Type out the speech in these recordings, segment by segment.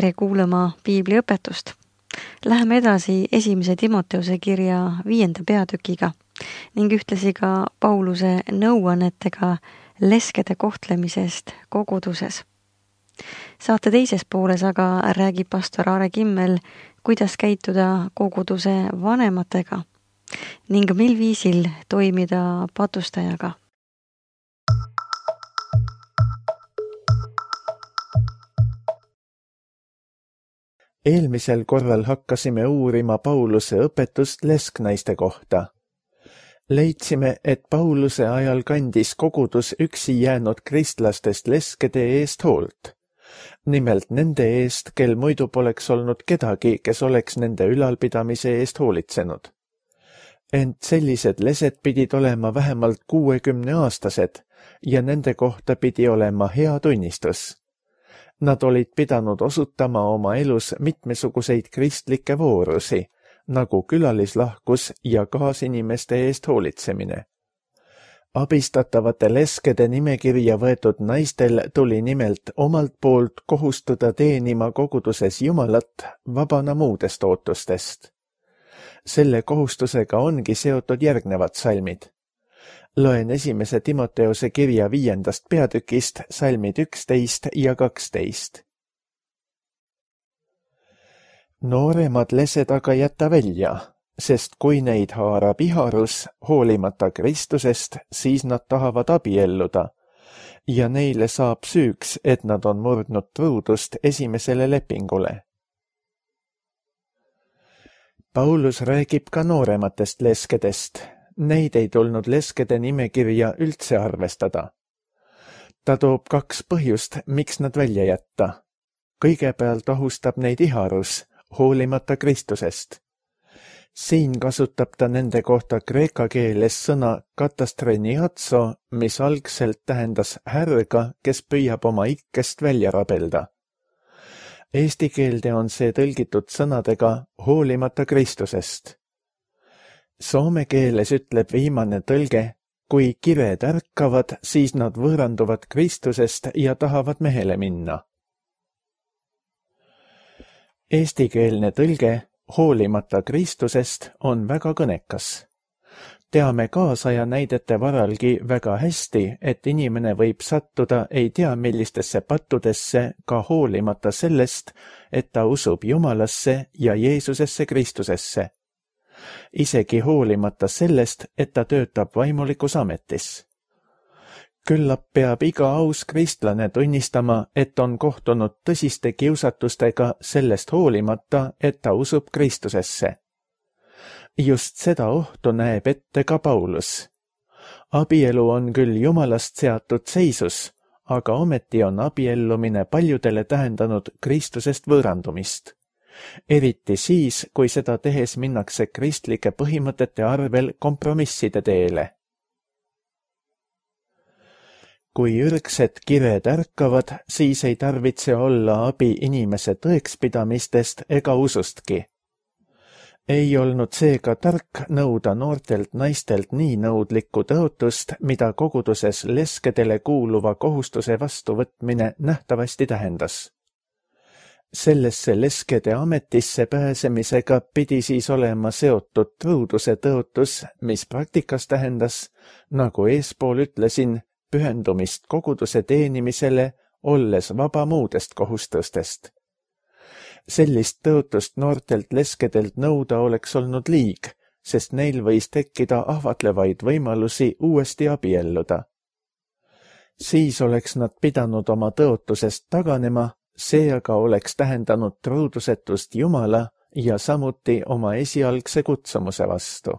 tere kuulama piibliõpetust. Läheme edasi 1. Timoteuse kirja 5. peatükiga ning ühtlasi ka Pauluse nõuannetega leskede kohtlemisest koguduses. Saate teises pooles aga räägib pastor Aare Kimmel, kuidas käituda koguduse vanematega ning mil viisil toimida patustajaga. Eelmisel korral hakkasime uurima Pauluse õpetust lesknaiste kohta. Leidsime, et Pauluse ajal kandis kogudus üksi jäänud kristlastest leskede eest hoolt. Nimelt nende eest, kel muidu poleks olnud kedagi, kes oleks nende ülalpidamise eest hoolitsenud. Ent sellised lesed pidid olema vähemalt 60-aastased ja nende kohta pidi olema hea tunnistus. Nad olid pidanud osutama oma elus mitmesuguseid kristlikke voorusi, nagu külalislahkus ja kaasinimeste eest hoolitsemine. Abistatavate leskede nimekirja võetud naistel tuli nimelt omalt poolt kohustuda teenima koguduses Jumalat vabana muudest ootustest. Selle kohustusega ongi seotud järgnevad salmid. Loen 1. Timoteuse kirja 5. peatükist salmid 11 ja 12. Nooremad lesed aga jätta välja, sest kui neid haarab iharus hoolimata Kristusest, siis nad tahavad abielluda ja neile saab süüks, et nad on murdnud truudust esimesele lepingule. Paulus räägib ka noorematest leskedest. Neid ei tulnud leskede nimekirja üldse arvestada. Ta toob 2 põhjust, miks nad välja jätta. Kõigepealt ohustab neid iharus, hoolimata Kristusest. Siin kasutab ta nende kohta kreeka keeles sõna katastreniatso, mis algselt tähendas härga, kes püüab oma ikkest välja rabelda. Eesti keelde on see tõlgitud sõnadega hoolimata Kristusest. Soome keeles ütleb viimane tõlge, kui kired ärkavad, siis nad võõranduvad Kristusest ja tahavad mehele minna. Eestikeelne tõlge hoolimata Kristusest on väga kõnekas. Teame kaasaja näidete varalgi väga hästi, et inimene võib sattuda ei tea millistesse pattudesse ka hoolimata sellest, et ta usub Jumalasse ja Jeesusesse Kristusesse. Isegi hoolimata sellest, et ta töötab vaimulikus ametis. Küllap peab iga aus kristlane tunnistama, et on kohtunud tõsiste kiusatustega sellest hoolimata, et ta usub Kristusesse. Just seda ohtu näeb ette ka Paulus. Abielu on küll Jumalast seatud seisus, aga ometi on abiellumine paljudele tähendanud Kristusest võõrandumist. Eriti siis, kui seda tehes minnakse kristlike põhimõtete arvel kompromisside teele. Kui ürgsed kired ärkavad, siis ei tarvitse olla abi inimese tõekspidamistest ega usustki. Ei olnud seega tark nõuda noortelt naistelt nii nõudlikku tõotust, mida koguduses leskedele kuuluva kohustuse vastuvõtmine nähtavasti tähendas. Sellesse leskede ametisse pääsemisega pidi siis olema seotud truuduse tõotus, mis praktikas tähendas, nagu eespool ütlesin, pühendumist koguduse teenimisele, olles vaba muudest kohustustest. Sellist tõotust noortelt leskedelt nõuda oleks olnud liig, sest neil võis tekkida ahvatlevaid võimalusi uuesti abielluda. Siis oleks nad pidanud oma tõotusest taganema, see aga oleks tähendanud truudusetust Jumala ja samuti oma esialgse kutsumuse vastu.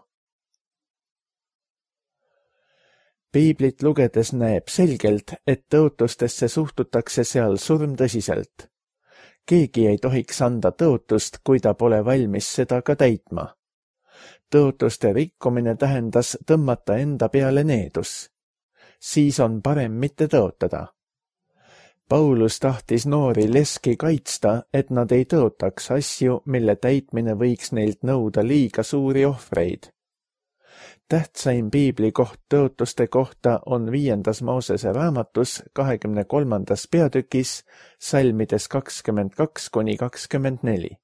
Piiblit lugedes näeb selgelt, et tõotustesse suhtutakse seal surmtõsiselt. Keegi ei tohiks anda tõotust, kui ta pole valmis seda ka täitma. Tõotuste rikkumine tähendas tõmmata enda peale needus. Siis on parem mitte tõotada. Paulus tahtis noori leski kaitsta, et nad ei tõotaks asju, mille täitmine võiks neilt nõuda liiga suuri ohvreid. Tähtsaim piiblikoht tõotuste kohta on 5. Moosese raamatus 23. peatükis salmides 22–24.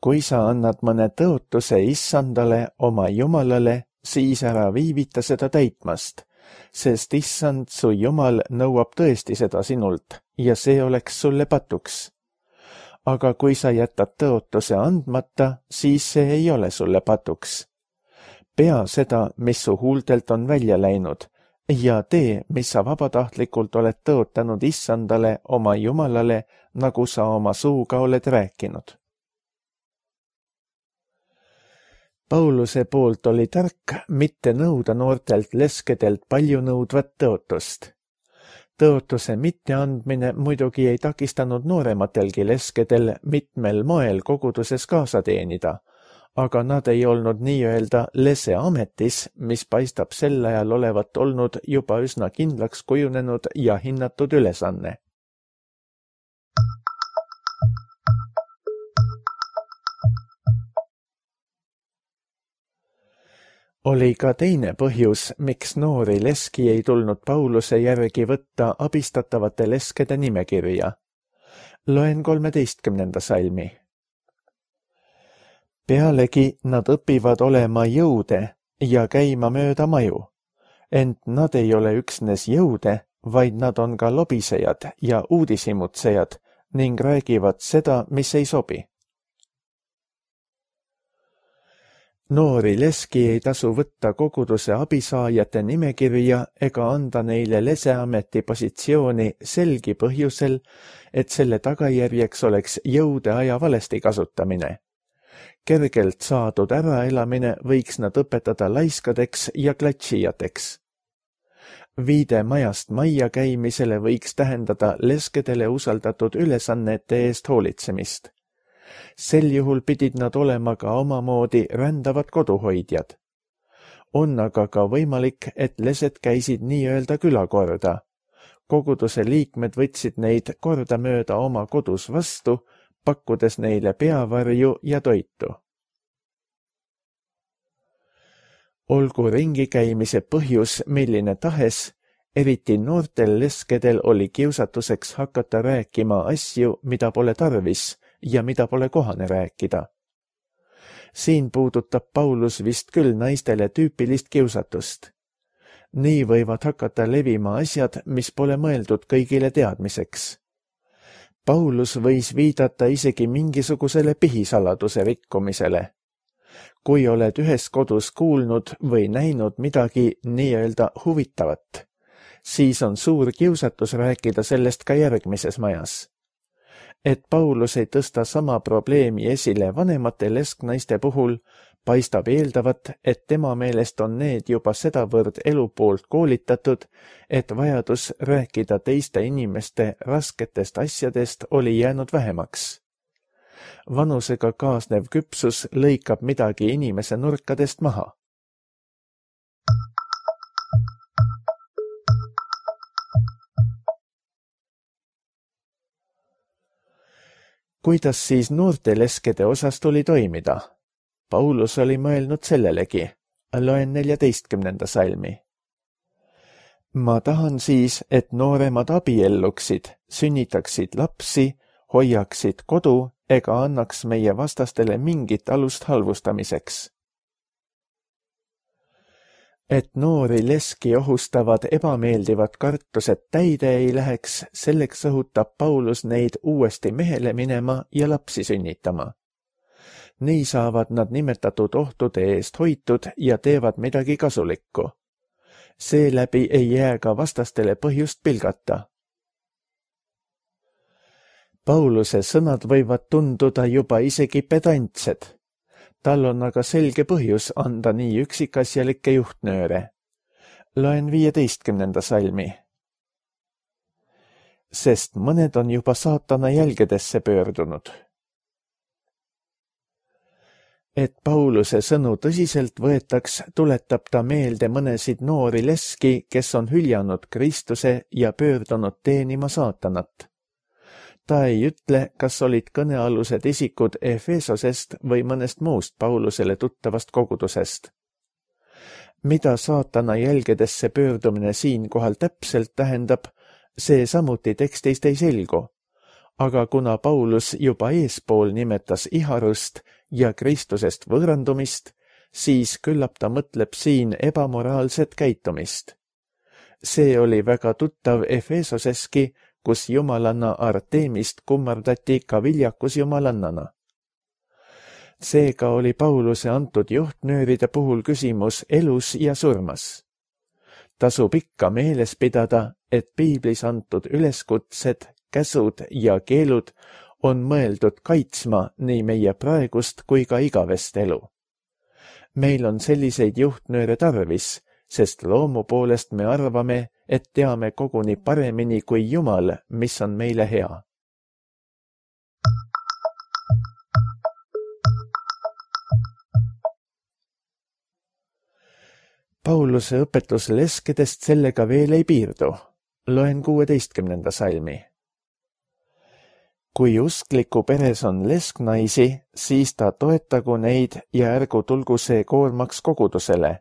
Kui sa annad mõne tõotuse issandale, oma jumalale, siis ära viivita seda täitmast, sest issand su jumal nõuab tõesti seda sinult ja see oleks sulle patuks. Aga kui sa jätad tõotuse andmata, siis see ei ole sulle patuks. Pea seda, mis su huultelt on välja läinud ja tee, mis sa vabatahtlikult oled tõotanud issandale, oma jumalale, nagu sa oma suuga oled rääkinud. Pauluse poolt oli tark mitte nõuda noortelt leskedelt palju nõudvat tõotust. Tõotuse mitteandmine muidugi ei takistanud noorematelgi leskedel mitmel moel koguduses kaasa teenida, aga nad ei olnud nii-öelda leseametis, mis paistab sel ajal olevat olnud juba üsna kindlaks kujunenud ja hinnatud ülesanne. Oli ka teine põhjus, miks noori leski ei tulnud Pauluse järgi võtta abistatavate leskede nimekirja. Loen 13. salmi. Pealegi nad õpivad olema jõude ja käima mööda maju, ent nad ei ole üksnes jõude, vaid nad on ka lobisejad ja uudishimutsejad ning räägivad seda, mis ei sobi. Noori leski ei tasu võtta koguduse abisaajate nimekirja ega anda neile leseameti positsiooni selgi põhjusel, et selle tagajärjeks oleks jõude aja valesti kasutamine. Kergelt saadud äraelamine võiks nad õpetada laiskadeks ja klatšijateks. Viide majast majja käimisele võiks tähendada leskedele usaldatud ülesannete eest hoolitsemist. Sel juhul pidid nad olema ka omamoodi rändavad koduhoidjad. On aga ka võimalik, et lesed käisid nii-öelda külakorda. Koguduse liikmed võtsid neid kordamööda oma kodus vastu, pakkudes neile peavarju ja toitu. Olgu ringi käimise põhjus milline tahes, eriti noortel leskedel oli kiusatuseks hakata rääkima asju, mida pole tarvis ja mida pole kohane rääkida. Siin puudutab Paulus vist küll naistele tüüpilist kiusatust. Nii võivad hakata levima asjad, mis pole mõeldud kõigile teadmiseks. Paulus võis viidata isegi mingisugusele pihisaladuse rikkumisele. Kui oled ühes kodus kuulnud või näinud midagi nii-öelda huvitavat, siis on suur kiusatus rääkida sellest ka järgmises majas. Et Paulus ei tõsta sama probleemi esile vanemate lesknaiste puhul, paistab eeldavat, et tema meelest on need juba sedavõrd elu poolt koolitatud, et vajadus rääkida teiste inimeste rasketest asjadest oli jäänud vähemaks. Vanusega kaasnev küpsus lõikab midagi inimese nurkadest maha. Kuidas siis noorte leskede osas tuli toimida? Paulus oli mõelnud sellelegi. Loen 14. salmi. Ma tahan siis, et nooremad abielluksid, sünnitaksid lapsi, hoiaksid kodu ega annaks meie vastastele mingit alust halvustamiseks. Et noori leski ohustavad ebameeldivad kartused täide ei läheks, selleks õhutab Paulus neid uuesti mehele minema ja lapsi sünnitama. Nii saavad nad nimetatud ohtude eest hoitud ja teevad midagi kasulikku. Seeläbi ei jää ka vastastele põhjust pilgata. Pauluse sõnad võivad tunduda juba isegi pedantsed. Tal on aga selge põhjus anda nii üksikasjalikke juhtnööre. Loen 15. salmi. Sest mõned on juba saatana jälgedesse pöördunud. Et Pauluse sõnu tõsiselt võetaks, tuletab ta meelde mõnesid noori leski, kes on hüljanud Kristuse ja pöördunud teenima saatanat. Ta ei ütle, kas olid kõnealused isikud Efesosest või mõnest muust Paulusele tuttavast kogudusest. Mida saatana jälgedesse pöördumine siinkohal täpselt tähendab, see samuti tekstist ei selgu. Aga kuna Paulus juba eespool nimetas iharust ja Kristusest võõrandumist, siis küllap ta mõtleb siin ebamoraalset käitumist. See oli väga tuttav Efesoseski, kus jumalanna Artemist kummardati ka viljakus jumalannana. Seega oli Pauluse antud juhtnööride puhul küsimus elus ja surmas. Tasub ikka meeles pidada, et piiblis antud üleskutsed, käsud ja keelud on mõeldud kaitsma nii meie praegust kui ka igavest elu. Meil on selliseid juhtnööre tarvis, sest loomu poolest me arvame, et teame koguni paremini kui Jumal, mis on meile hea. Pauluse õpetus leskedest sellega veel ei piirdu. Loen 16. salmi. Kui uskliku peres on lesknaisi, siis ta toetagu neid ja ärgu tulgu see koormaks kogudusele,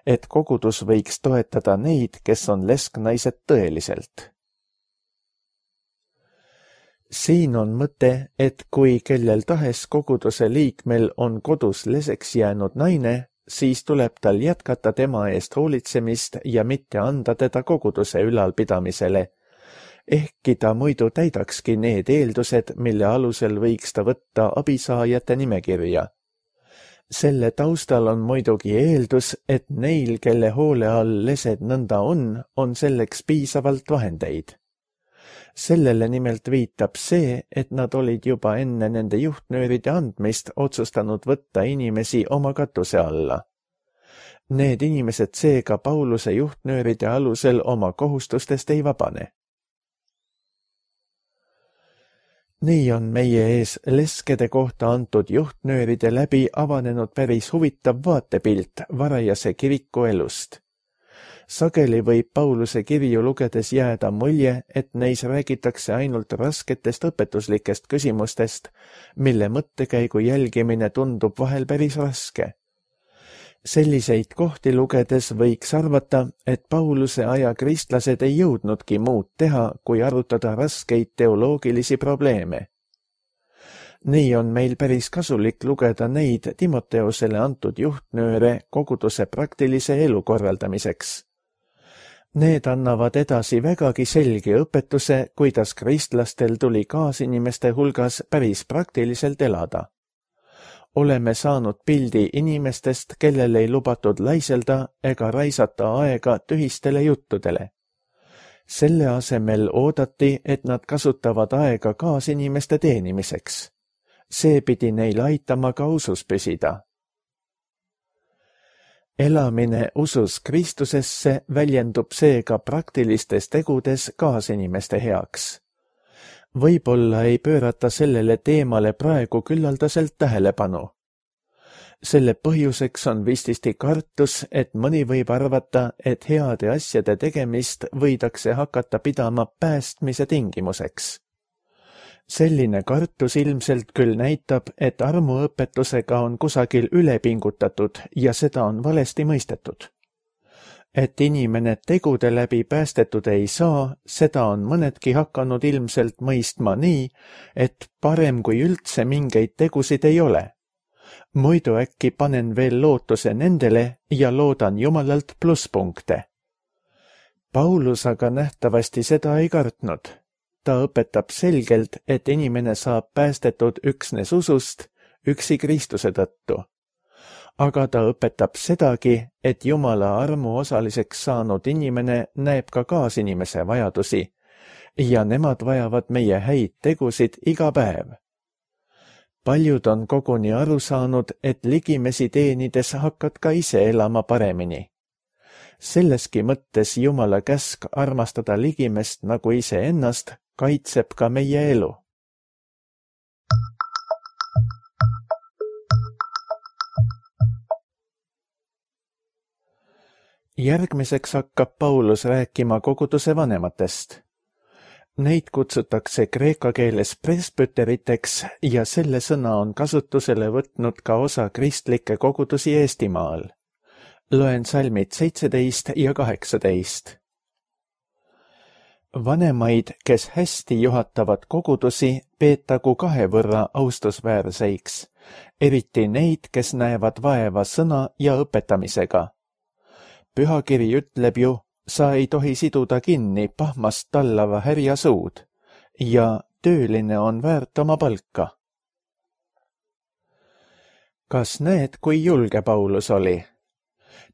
et kogudus võiks toetada neid, kes on lesknaised tõeliselt. Siin on mõte, et kui kellel tahes koguduse liikmel on kodus leseks jäänud naine, siis tuleb tal jätkata tema eest hoolitsemist ja mitte anda teda koguduse ülalpidamisele, ehkki ta muidu täidakski need eeldused, mille alusel võiks ta võtta abisaajate nimekirja. Selle taustal on muidugi eeldus, et neil, kelle hoole all lesed nõnda on selleks piisavalt vahendeid. Sellele nimelt viitab see, et nad olid juba enne nende juhtnööride andmist otsustanud võtta inimesi oma katuse alla. Need inimesed seega Pauluse juhtnööride alusel oma kohustustest ei vabane. Nii on meie ees leskede kohta antud juhtnööride läbi avanenud päris huvitav vaatepilt varajase kiriku elust. Sageli võib Pauluse kirju lugedes jääda mulje, et neis räägitakse ainult rasketest õpetuslikest küsimustest, mille mõttekäigu jälgimine tundub vahel päris raske. Selliseid kohti lugedes võiks arvata, et Pauluse aja kristlased ei jõudnudki muud teha, kui arutada raskeid teoloogilisi probleeme. Nii on meil päris kasulik lugeda neid Timoteosele antud juhtnööre koguduse praktilise elu korraldamiseks. Need annavad edasi vägagi selge õpetuse, kuidas kristlastel tuli kaasinimeste hulgas päris praktiliselt elada. Oleme saanud pildi inimestest, kellel ei lubatud laiselda ega raisata aega tühistele juttudele. Selle asemel oodati, et nad kasutavad aega kaasinimeste teenimiseks. See pidi neil aitama ka usus püsida. Elamine usus Kristusesse väljendub seega praktilistes tegudes kaasinimeste heaks. Võib-olla ei pöörata sellele teemale praegu küllaldaselt tähelepanu. Selle põhjuseks on vististi kartus, et mõni võib arvata, et heade asjade tegemist võidakse hakata pidama päästmise tingimuseks. Selline kartus ilmselt küll näitab, et armuõpetusega on kusagil ülepingutatud ja seda on valesti mõistetud. Et inimene tegude läbi päästetud ei saa, seda on mõnedki hakanud ilmselt mõistma nii, et parem kui üldse mingeid tegusid ei ole. Muidu äkki panen veel lootuse nendele ja loodan Jumalalt plusspunkte. Paulus aga nähtavasti seda ei kartnud. Ta õpetab selgelt, et inimene saab päästetud üksnes usust, üksi Kristuse tõttu. Aga ta õpetab sedagi, et Jumala armu osaliseks saanud inimene näeb ka kaasinimese vajadusi ja nemad vajavad meie häid tegusid iga päev. Paljud on koguni aru saanud, et ligimesi teenides hakkad ka ise elama paremini. Selleski mõttes Jumala käsk armastada ligimest nagu iseennast kaitseb ka meie elu. Järgmiseks hakkab Paulus rääkima koguduse vanematest. Neid kutsutakse kreeka keeles presbyteriteks ja selle sõna on kasutusele võtnud ka osa kristlikke kogudusi Eestimaal. Loen salmid 17 ja 18. Vanemaid, kes hästi juhatavad kogudusi, peetagu 2 võrra austusväärseiks, eriti neid, kes näevad vaeva sõna ja õpetamisega. Pühakiri ütleb ju, sa ei tohi siduda kinni pahmast tallava härja suud ja tööline on väärt oma palka. Kas näed, kui julge Paulus oli?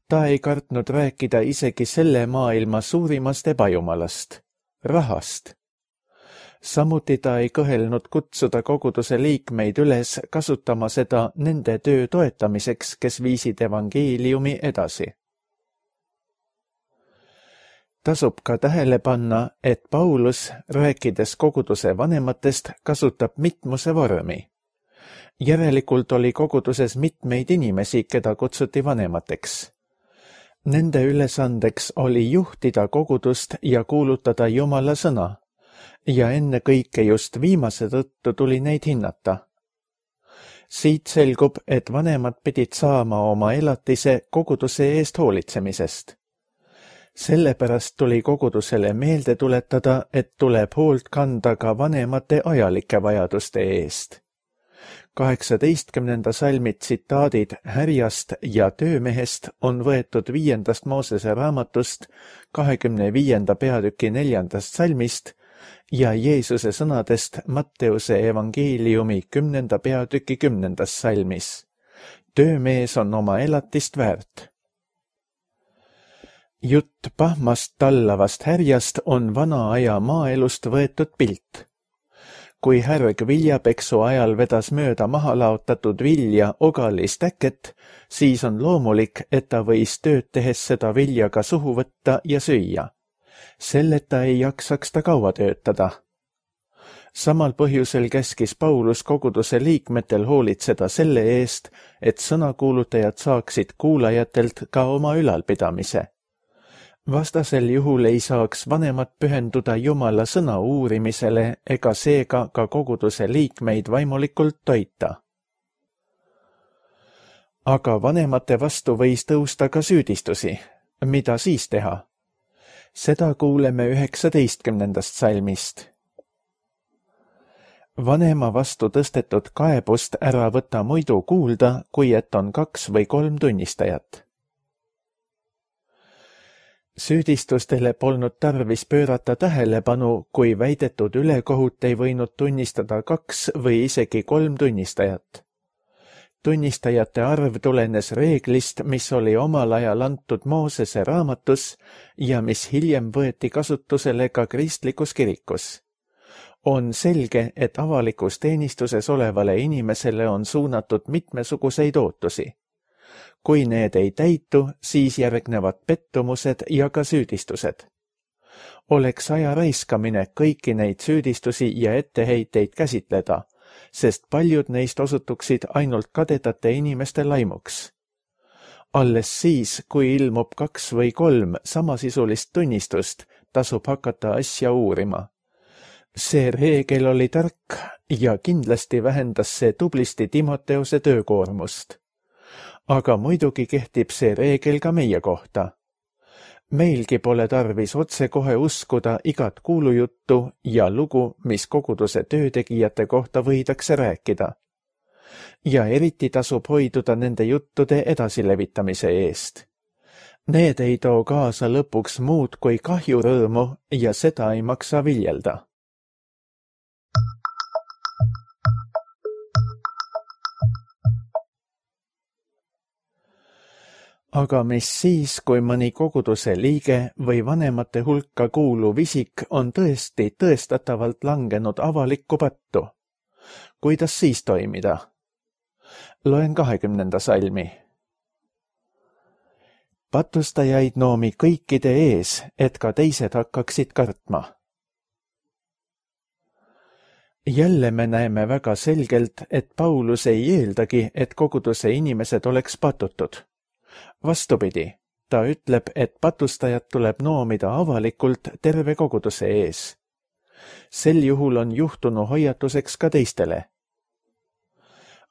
Ta ei kartnud rääkida isegi selle maailma suurimast ebajumalast, rahast. Samuti ta ei kõhelnud kutsuda koguduse liikmeid üles kasutama seda nende töö toetamiseks, kes viisid evangeeliumi edasi. Tasub ka tähele panna, et Paulus, rääkides koguduse vanematest, kasutab mitmuse vormi. Järelikult oli koguduses mitmeid inimesi, keda kutsuti vanemateks. Nende ülesandeks oli juhtida kogudust ja kuulutada Jumala sõna, ja ennekõike just viimase tõttu tuli neid hinnata. Siit selgub, et vanemad pidid saama oma elatise koguduse eest hoolitsemisest. Sellepärast tuli kogudusele meelde tuletada, et tuleb hoolt kanda ka vanemate ajalike vajaduste eest. 18. salmi tsitaadid härjast ja töömehest on võetud 5. Moosese raamatust 25. peatüki 4. salmist ja Jeesuse sõnadest Matteuse evangeeliumi 10. peatüki 10. salmis. Töömees on oma elatist väärt. Jutt pahmast tallavast härjast on vana aja maaelust võetud pilt. Kui härg viljapeksu ajal vedas mööda maha laotatud vilja ogalist äket, siis on loomulik, et ta võis tööd tehes seda vilja ka suhu võtta ja süüa. Selleta ei jaksaks ta kaua töötada. Samal põhjusel käskis Paulus koguduse liikmetel hoolitseda selle eest, et sõnakuulutajad saaksid kuulajatelt ka oma ülalpidamise. Vastasel juhul ei saaks vanemad pühenduda Jumala sõna uurimisele ega seega ka koguduse liikmeid vaimulikult toita. Aga vanemate vastu võis tõusta ka süüdistusi. Mida siis teha? Seda kuuleme 19. salmist. Vanema vastu tõstetud kaebust ära võta muidu kuulda, kui et on 2 või 3 tunnistajat. Süüdistustele polnud tarvis pöörata tähelepanu, kui väidetud ülekohut ei võinud tunnistada 2 või isegi 3 tunnistajat. Tunnistajate arv tulenes reeglist, mis oli omal ajal antud Moosese raamatus ja mis hiljem võeti kasutusele ka kristlikus kirikus. On selge, et avalikus teenistuses olevale inimesele on suunatud mitmesuguseid ootusi. Kui need ei täitu, siis järgnevad pettumused ja ka süüdistused. Oleks aja raiskamine kõiki neid süüdistusi ja etteheiteid käsitleda, sest paljud neist osutuksid ainult kadedate inimeste laimuks. Alles siis, kui ilmub 2 või 3 samasisulist tunnistust, tasub hakata asja uurima. See reegel oli tark ja kindlasti vähendas see tublisti Timoteuse töökoormust. Aga muidugi kehtib see reegel ka meie kohta. Meilgi pole tarvis otsekohe uskuda igat kuulujuttu ja lugu, mis koguduse töötegijate kohta võidakse rääkida. Ja eriti tasub hoiduda nende juttude edasilevitamise eest. Need ei too kaasa lõpuks muud kui kahjurõõmu ja seda ei maksa viljelda. Aga mis siis, kui mõni koguduse liige või vanemate hulka kuuluv isik on tõesti tõestatavalt langenud avalikku pattu? Kuidas siis toimida? Loen 20. salmi. Patustajaid noomi kõikide ees, et ka teised hakkaksid kartma. Jälle me näeme väga selgelt, et Paulus ei eeldagi, et koguduse inimesed oleks patutud. Vastupidi, ta ütleb, et patustajad tuleb noomida avalikult terve koguduse ees. Sel juhul on juhtunu hoiatuseks ka teistele.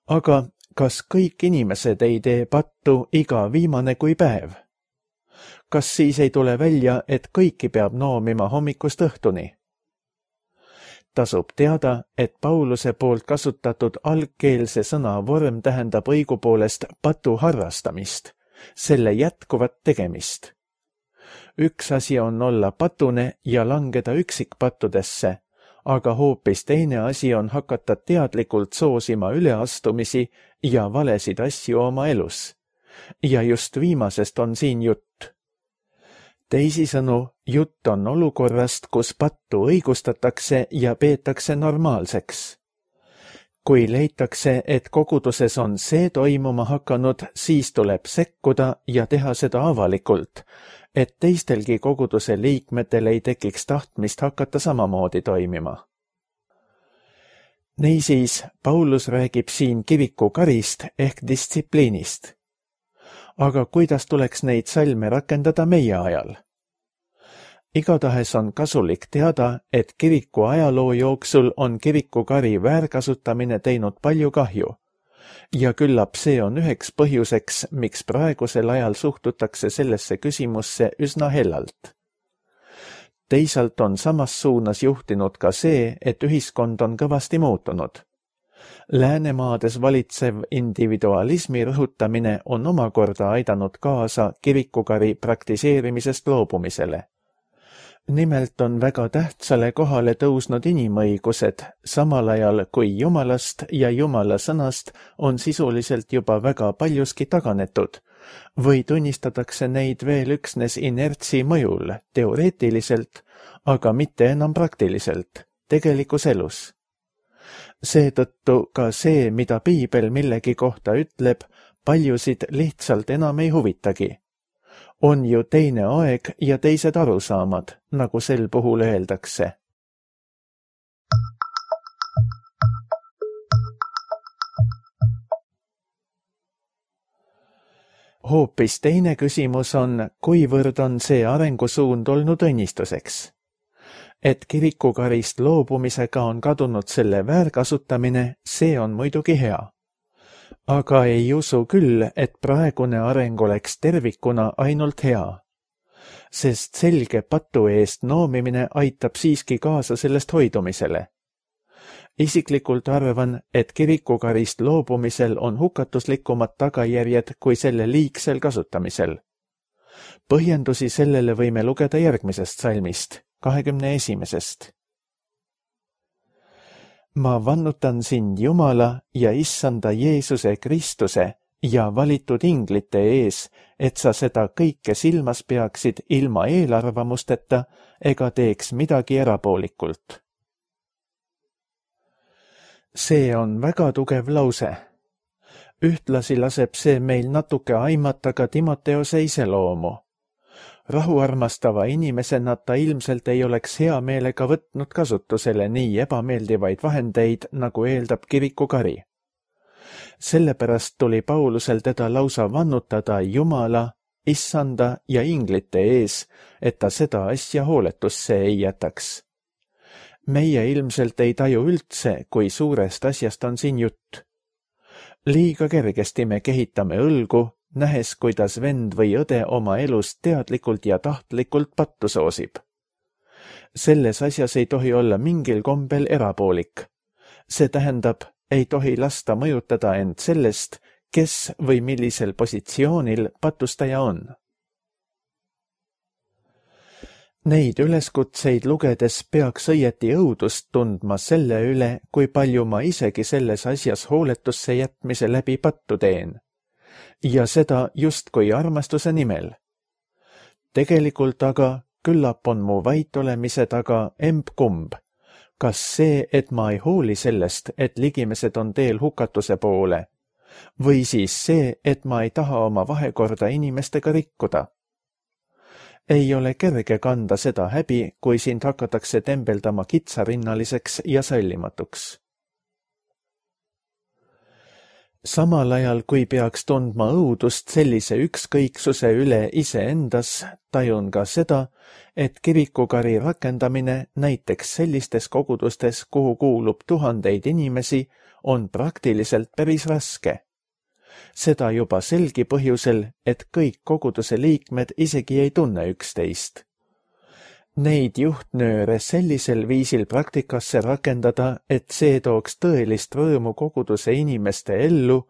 Aga kas kõik inimesed ei tee pattu iga viimane kui päev? Kas siis ei tule välja, et kõiki peab noomima hommikust õhtuni? Tasub teada, et Pauluse poolt kasutatud algkeelse sõna vorm tähendab õigupoolest patu harrastamist, selle jätkuvat tegemist. Üks asi on olla patune ja langeda üksikpattudesse, aga hoopis teine asi on hakata teadlikult soosima üleastumisi ja valesid asju oma elus. Ja just viimasest on siin jutt. Teisisõnu, jutt on olukorrast, kus pattu õigustatakse ja peetakse normaalseks. Kui leitakse, et koguduses on see toimuma hakanud, siis tuleb sekkuda ja teha seda avalikult, et teistelgi koguduse liikmetel ei tekiks tahtmist hakata samamoodi toimima. Niisiis, Paulus räägib siin kirikukarist ehk distsipliinist. Aga kuidas tuleks neid salme rakendada meie ajal? Igatahes on kasulik teada, et kiriku ajaloo jooksul on kirikukari väärkasutamine teinud palju kahju. Ja küllap see on üheks põhjuseks, miks praegusel ajal suhtutakse sellesse küsimusse üsna hellalt. Teisalt on samas suunas juhtinud ka see, et ühiskond on kõvasti muutunud. Läänemaades valitsev individualismi rõhutamine on omakorda aidanud kaasa kirikukari praktiseerimisest loobumisele. Nimelt on väga tähtsale kohale tõusnud inimõigused, samal ajal kui Jumalast ja Jumala sõnast on sisuliselt juba väga paljuski taganetud, või tunnistatakse neid veel üksnes inertsi mõjul, teoreetiliselt, aga mitte enam praktiliselt, tegelikus elus. Seetõttu ka see, mida piibel millegi kohta ütleb, paljusid lihtsalt enam ei huvitagi. On ju teine aeg ja teised arusaamad, nagu sel puhul öeldakse. Hoopis teine küsimus on, kuivõrd on see arengusuund olnud õnnistuseks. Et kirikukarist loobumisega on kadunud selle väärkasutamine, see on muidugi hea. Aga ei usu küll, et praegune areng oleks tervikuna ainult hea. Sest selge patu eest noomimine aitab siiski kaasa sellest hoidumisele. Isiklikult arvan, et kirikukarist loobumisel on hukatuslikumad tagajärjed kui selle liigsel kasutamisel. Põhjendusi sellele võime lugeda järgmisest salmist, 21. Ma vannutan sind Jumala ja Issanda Jeesuse Kristuse ja valitud inglite ees, et sa seda kõike silmas peaksid ilma eelarvamusteta ega teeks midagi erapoolikult. See on väga tugev lause. Ühtlasi laseb see meil natuke aimata ka Timoteose iseloomu. Rahuarmastava inimesena ta ilmselt ei oleks hea meelega võtnud kasutusele nii ebameeldivaid vahendeid, nagu eeldab kirikukari. Sellepärast tuli Paulusel teda lausa vannutada Jumala, Issanda ja inglite ees, et ta seda asja hooletusse ei jätaks. Meie ilmselt ei taju üldse, kui suurest asjast on siin jutt. Liiga kergesti me kehitame õlgu, nähes, kuidas vend või õde oma elus teadlikult ja tahtlikult pattu soosib. Selles asjas ei tohi olla mingil kombel erapoolik. See tähendab, ei tohi lasta mõjutada end sellest, kes või millisel positsioonil patustaja on. Neid üleskutseid lugedes peaks õieti õudust tundma selle üle, kui palju ma isegi selles asjas hooletusse jätmise läbi pattu teen. Ja seda justkui armastuse nimel. Tegelikult aga küllap on mu vait olemise taga emb-kumb. Kas see, et ma ei hooli sellest, et ligimesed on teel hukatuse poole, või siis see, et ma ei taha oma vahekorda inimestega rikkuda. Ei ole kerge kanda seda häbi, kui sind hakatakse tembeldama kitsarinnaliseks ja sallimatuks. Samal ajal, kui peaks tundma õudust sellise ükskõiksuse üle iseendas, tajun ka seda, et kirikukari rakendamine näiteks sellistes kogudustes, kuhu kuulub tuhandeid inimesi, on praktiliselt päris raske. Seda juba selgi põhjusel, et kõik koguduse liikmed isegi ei tunne üksteist. Neid juhtnööre sellisel viisil praktikasse rakendada, et see tooks tõelist rõõmu koguduse inimeste ellu,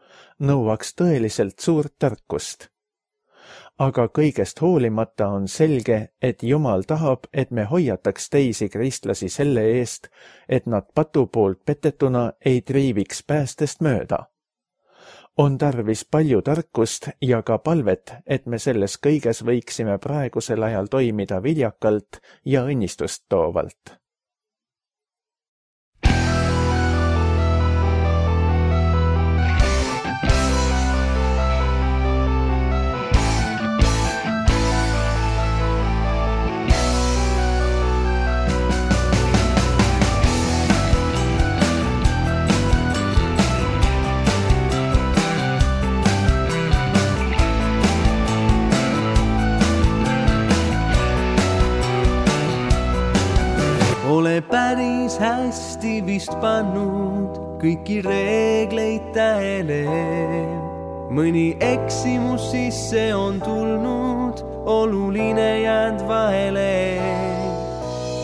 nõuaks tõeliselt suurt tarkust. Aga kõigest hoolimata on selge, et Jumal tahab, et me hoiataks teisi kristlasi selle eest, et nad patu poolt petetuna ei triiviks päästest mööda. On tarvis palju tarkust ja ka palvet, et me selles kõiges võiksime praegusel ajal toimida viljakalt ja õnnistust toovalt. Ole päris hästi vist pannud kõiki reegleid tähele. Mõni eksimus sisse on tulnud, oluline jäänud vahele.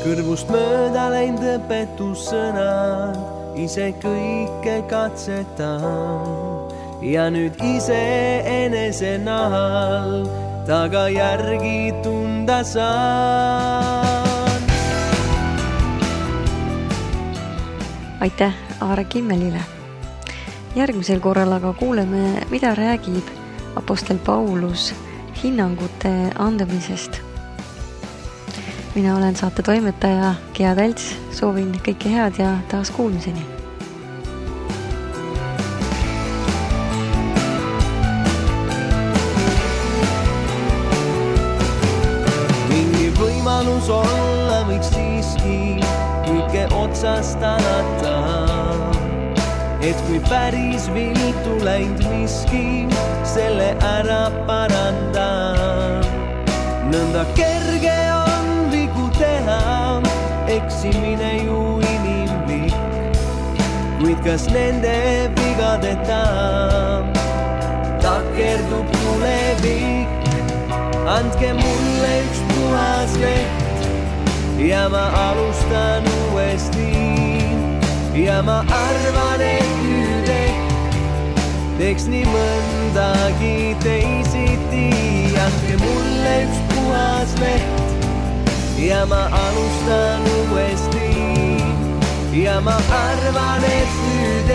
Kõrvust mööda läinud õpetussõnad, ise kõike katsetan. Ja nüüd ise enese nahal tagajärgi tunda saan. Aitäh Aare Kimmelile. Järgmisel korral aga kuuleme, mida räägib apostel Paulus hinnangute andmisest. Mina olen saate toimetaja Gea Tälts, soovin kõike head ja taas kuulmiseni. Mingi võimalus olla võiks siiski kõike otsast alata, et kui päris viltu läinud miski, selle ära parandan. Nõnda kerge on vigu teha, eksimine ju inimlik, kuid kas nende vigadeta takerdub tulevik? Andke mulle üks puhas leht ja ma alustan uuesti ja ma arvan, et nüüd teeks nii mõndagi teisiti. Andke mulle üks puhas leht ja ma alustan uuesti ja ma arvan, et nüüd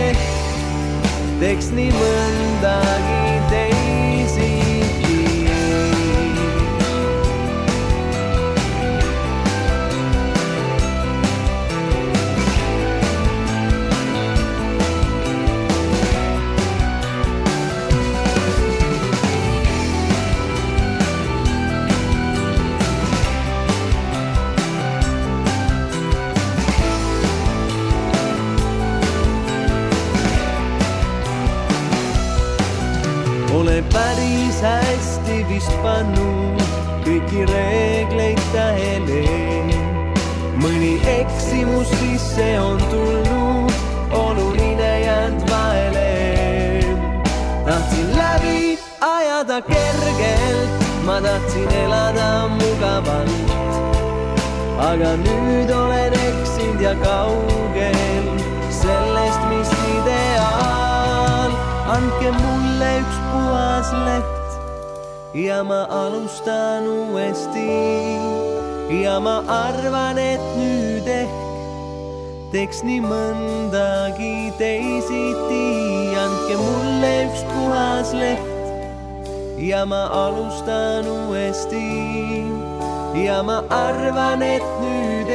teeks nii mõndagi teisiti. Ole päris hästi vist pannud kõiki reegleid tähele. Mõni eksimus sisse on tulnud, oluline jäänud vahele. Tahtsin läbi ajada kergelt, ma tahtsin elada mugavalt, aga nüüd olen eksinud ja kaugel sellest, mis ideaal. Andke mulle üks puhas leht ja ma alustan uuesti ja ma arvan, et nüüd teeks nii mõndagi teisiti. Andke mulle üks puhas leht ja ma alustan uuesti ja ma arvan, et nüüd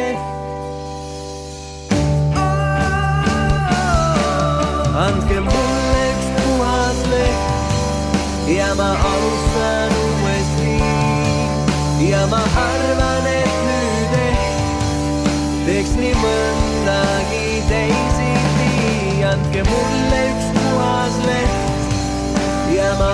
andke mulle üks puhas leht ja ma alustan uuesti ja ma arvan, et nüüd teeks nii mõndagi teisiti. Andke mulle üks puhas leht ja ma